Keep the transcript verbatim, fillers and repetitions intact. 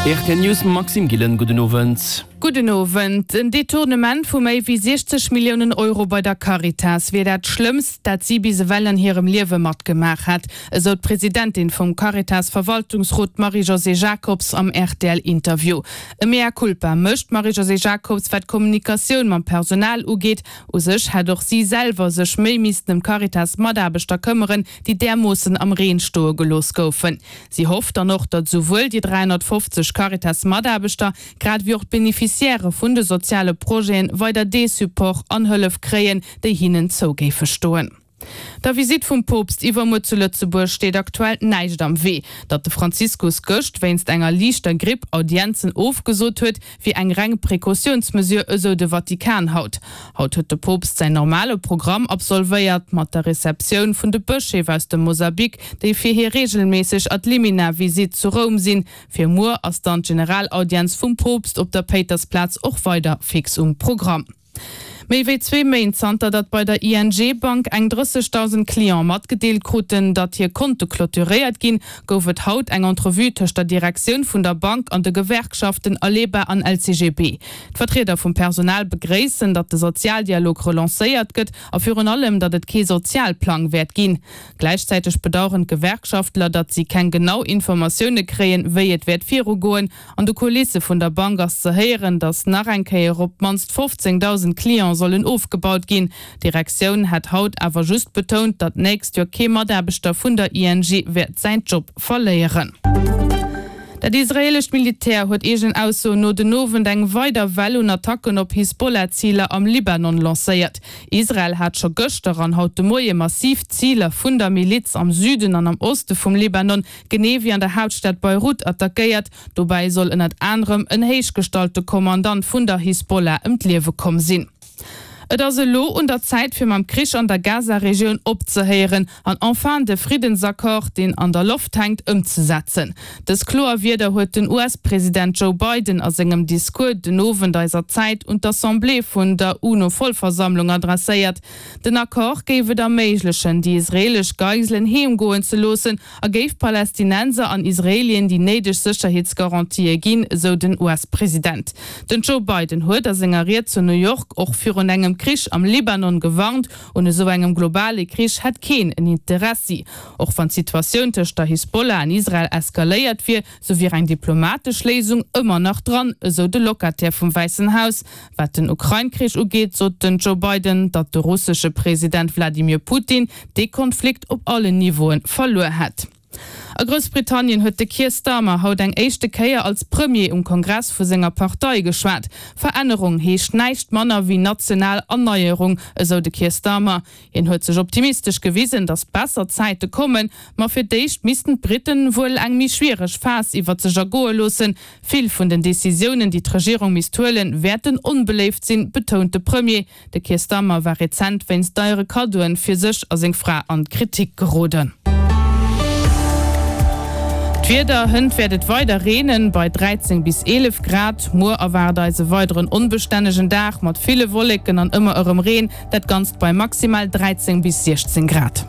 R T L News mam Maxime Gillen, gudden Owend. Gudden Owend. En Detournement vu méi wéi siechzeg Milliounen Euro bei der Caritas wier dat Schlëmmst, dat si bis ewell an hirem Liewe matgemaach hätt, esou d'Presidentin vum Caritas-Verwaltungsrot Marie-Josée Jacobs am R T L-Interview. E Mea culpa mécht d'Marie-Josée Jacobs, wat d'Kommunikatioun mam Personal ugeet. U sech hätt och si selwer sech méi missten ëm d'Caritas-Mataarbechter këmmeren, déi därmoossen am Reen stoe gelooss goufen. Si hofft dann och, datt souwuel déi dräihonnertfofzeg Caritas-Mataarbechter, grad ewéi och d'Beneficiairë vun de soziale Projete weider dee Support an Hëllef kréien, déi hinnen zou géife stoen. Der Visitt vum Poopst iwwermuer zu Lëtzebuerg steet aktuell näischt am Wee. Datt de Franziskus gëscht wéinst enger liichter Gripp Audienzen ofgesot huet, wier eng reng Precautiounsmesure, esou de Vatikan haut. Haut huet de Poopst säin normale Programm absolvéiert, mat der Receptioun vun de Bëscheef aus dem Mosambik, déi fir hir reegelméisseg Ad-limina-Visitt zu Roum sinn. Fir muer ass dann d'Generalaudienz vum Poopst op der Péitersplaz och weider fix um Programm. Méi wéi zwee Méint zanter datt bei der I N G Bank eng drëssegdausend Cliente matgedeelt kruten, datt hir Konte clôturéiert ginn, gouf et haut eng Entrevue tëscht der Direktioun vun der Bank an de Gewerkschaften Aleba an L C G B. D'Vertrieder vum Personal begréissen, datt de Sozialdialog relancéiert gëtt a virun allem, datt et kee Sozialplang wäert ginn. Gläichzäiteg bedaueren d'Gewerkschaftler, datt si keng genau Informatioune kréien, wéi et wäert virugoen. An de Kulisse vun der Bank ass ze héieren, datt nach eng Kéier op d'mannst fofzéngdausend Cliente sollen ofgebaut ginn. D'Direktioun hätt haut awer just betount, datt d'nächst Joer kee Mataarbechter vun der I N G wäert säin Job verléieren. Dat israeelescht Militär huet eegenen Aussoen no den Owend eng weider Well un Attacken op Hisbollah-Ziler am Libanon lancéiert. Israel hat scho gëschter an haut de Moie massiv Ziler vun der Miliz am Süden an am Oste vum Libanon, genee wéi an der Haaptstad Beirut attackéiert. Dobäi soll ënnert anerem en héichgestallte Kommandant vun der Hisbollah ëm d'Liewe komm sinn. Et ass elo un der Zäit fir mam Krich an der Gaza-Regioun opzehéieren an enfin de Friddensaccord, deen an der Loft hänkt, ëmzesetzen. Dës kloer Wierder huet den U S-President Joe Biden a sengem Discours den Owend eiser Zäit un d'Assemblée vun der UNO-Vollversammlung adresséiert. Den Accord géif et erméiglechen, déi israeelesch Geiselen heemgoen ze loossen a géif Palästinenser an Israeelien déi néideg Sécherheetsgarantië ginn, esou den U S-President. Den Joe Biden huet a senger Ried zu New York och virun engem Krich am Libanon gewarnt, un esou engem globale Krich hätt keen en Interessi. Och wann d'Situatioun tëscht der Hisbollah an Israel eskaléiert wier, sou wier eng diplomatesch Léisung ëmmer nach dran, esou de Locataire vum Wäissen Haus. Wat den Ukrain-Krich ugeet, sot den Joe Biden, datt de russesche President Wladimir Putin dee Konflikt op allen Niveaue verluer hätt. A Groussbritannien huet de Keir Starmer haut eng éischte Kéier als Premier um Kongress vu senger Partei geschwat. Verännerung heescht näischt manner wéi national Erneierung, esou de Keir Starmer. Hien huet sech optimistesch gewisen, datt besser Zäite kommen, ma fir d'éischt missten d'Britten wuel eng méi schwiereg Phas iwwer sech ergoe loossen. Vill vun den Decisiounen, déi d'Regierung misst huelen, wäerten onbeléift sinn, betount de Premier. De Keir Starmer war rezent wéinst deiere Kaddoen fir sech a seng Fra an d'Kritik geroden. D'Wieder, Hënt wäert et weider reenen, bei dräizéng bis eelef Grad. Muer erwaart eis e weideren onbestännegen Dag mat ville Wolleken an ëmmer erëm Reen, dat Ganzt bei maximal dräizéng bis siechzéng Grad.